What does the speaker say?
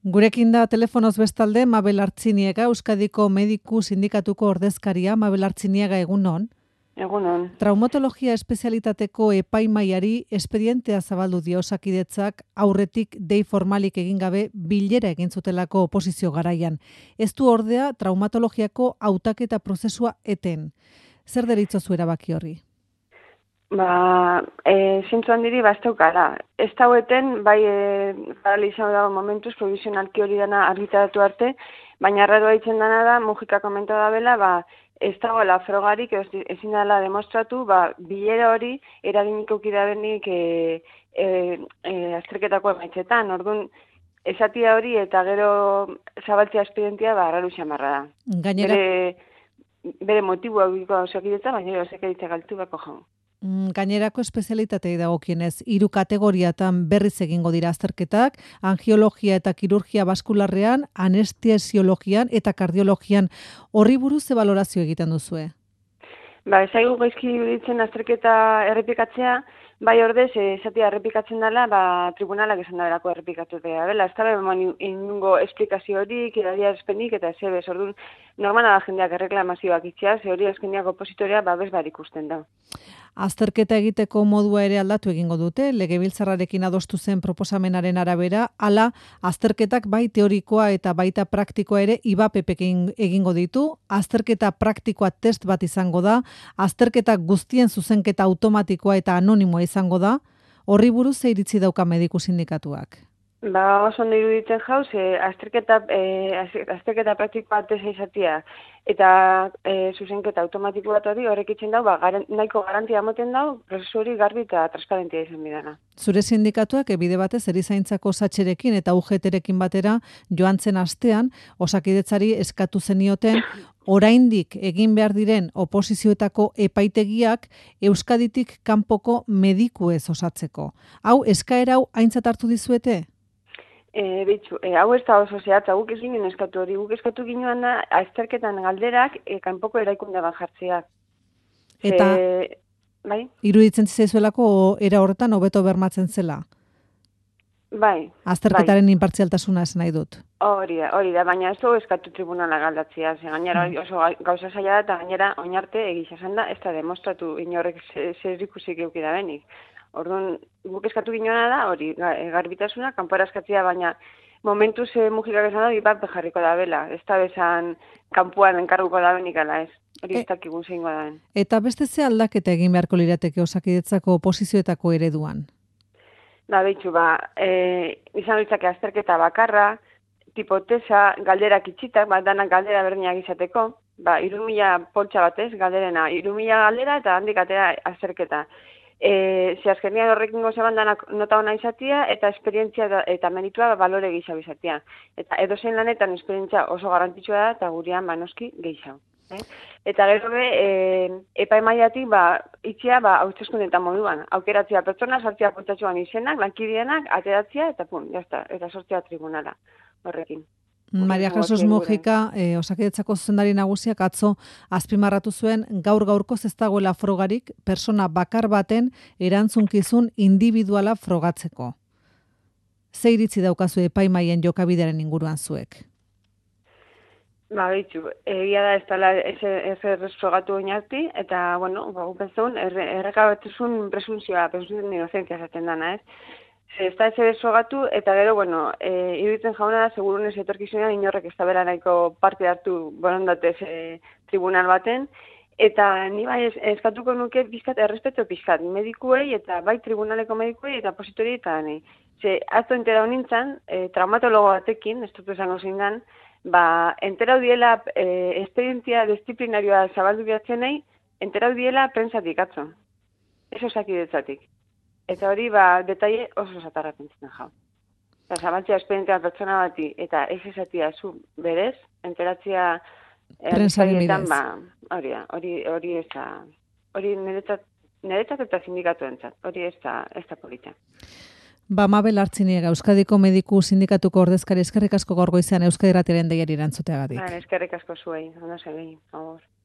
Gurekin da telefonoz bestalde Mabel Artziniega, Euskadiko Mediku Sindikatuko ordezkaria. Mabel Artziniega, egunon. Egunon. Traumatologia espezialitateko epaimaiari espedientea zabaldu dio Osakidetzak aurretik dei formalik egin gabe bilera egin zutelako oposizio garaian. Ez du ordea traumatologiako hautaketa prozesua eten. Zer deritzozu erabaki horri? Zintzu handiri bazteukala. Ez daueten, bai paralizau dago momentuz, provisionalki hori dana argitaratu arte, baina arraroa itzen dana da, Mujika komenta da bela, ez dagoela frogarik, ezin dela demostratu, bilera hori eraginik eukida benik azterketako emaitzetan. Orduan, esatia hori eta gero zabaltzea espedientia arraru xamarra da. Gainera... Bere motiboa egiko Osakidetza, baina Osakidetza galtu bako jaun. Gainerako espezialitatei dagokienez, 3 kategoriatan berriz egingo dira azterketak, angiologia eta kirurgia baskularrean, anestesiologian eta kardiologian. Horri buruz ze balorazio egiten duzue? Ezaigu gaizki iruditzen azterketa errepikatzea, bai ordez, esatia errepikatzen dela, tribunalak esan daberako errepikatu dela. Ez da inungo esplikazio horik, adierazpenik eta zebez. Orduan, normala da jendeak erreklamazioak itxea, ze hori azkeniak opositorea bezbar ikusten da. Azterketa egiteko modua ere aldatu egingo dute, Legebiltzarrarekin adostu zen proposamenaren arabera, hala azterketak bai teorikoa eta baita praktikoa ere IBAPEPek egingo ditu, azterketa praktikoa test bat izango da, azterketa guztien zuzenketa automatikoa eta anonimoa izango da, horri buruz ze iritzi dauka mediku sindikatuak? Oso ondo iruditzen jauz, azterketa praktikoa tesa izatea eta zuzenketa automatiko bat hori horrek itzen dau, nahiko garantia moten dau, prozesu hori garbi eta transparentia izan bidana. Zure sindikatuak bide batez erizaintzako satxerekin eta UGT-rekin batera joan zen astean, Osakidetzari eskatu zenioten oraindik egin behar diren oposizioetako epaitegiak Euskaditik kanpoko medikuez osatzeko. Hau, eskaera hau aintzat hartu dizuete? Hau ez da oso zehatza, guk ez ginen eskatu hori, guk eskatu ginoan da azterketan galderak kanpoko eraikunde bat jartzea. Eta iruditzen zaizuelako era horretan hobeto bermatzen zela? Bai. Azterketaren inpartzialtasuna esan nahi dut. Hori da, baina ez dugu eskatu tribunala galdatzea, gainera oso gauza zaila da, eta gainera oinarte egizazan da, ez da demostratu inorrek zer ikusik eukida benik. Orduan, guk eskatu ginoena da, hori, garbitasuna, kanpora eskatzea, baina momentuz Mujikak esan da, IBAP jarriko da bela, ez da bezan kanpuan enkarguko da benik ala ez, hori ez dakigun zeingo da ben. Eta beste ze aldaketa egin beharko lirateke Osakidetzako oposizioetako ereduan? Izan ditzake azterketa bakarra, tipo tesa, galderak itxitak, danak galdera berdinak izateko, 3.000 poltsa batez, galderena, 3.000 galdera eta handik atera azterketa. Ze azkenean horrekin gozaban danak nota hona izatea eta esperientzia eta meritua balore gehiago izatea. Eta edozein lanetan esperientzia oso garrantzitsua da eta gurean noski gehiago. Eta gero epaimaiatik itxea hauteskundeetan moduan. Aukeratzea pertsona, sartzea poltsatxoan izenak, lankideenak, ateratzea eta jazta, eta sortzea tribunala horrekin. Maria Jesus Mujika, Osakidetzako zuzendari nagusiak atzo azpimarratu zuen gaur-gaurkoz ez dagoela frogarik persona bakar baten erantzunkizun individuala frogatzeko. Ze iritzi daukazu epaimaien jokabidearen inguruan zuek? Egia da ez dela ez frogatu oinarti, eta, gupenzun, errekabatuzun presunzioa inozentzia zaten dana, ez? Ez da ez frogatu, eta gero, iruditzen jauna da, segurunez etorkizunean inorrek ez da bera nahiko parte hartu borondatez tribunal baten, eta ni eskatuko nuke pizkat, errespeto pizkat, medikuei eta bai tribunaleko medikuei eta opositori eta nahi. Azto entera honintzan, traumatologo batekin, ez dut esango zindan, enterau diela esperientzia disciplinarioa zabaldu behatzenei, enterau diela prentsatik atzo. Ez Osakidetzatik. Eta hori, detaile oso zatarra pentsen jau. Zabaltzea esperientzia pertsona bati, eta ez esatia zu berez, enteratzea prensarietan, hori ez da, hori niretzat eta sindikatu entzat, hori ez da polita. Mabel Artziniega, Euskadiko Mediku Sindikatuko ordezkari, eskerrik asko gaur goizean Euskadi Irratiaren deiari erantzuteagatik. Eskerrik asko zuei, ondo segei, agur.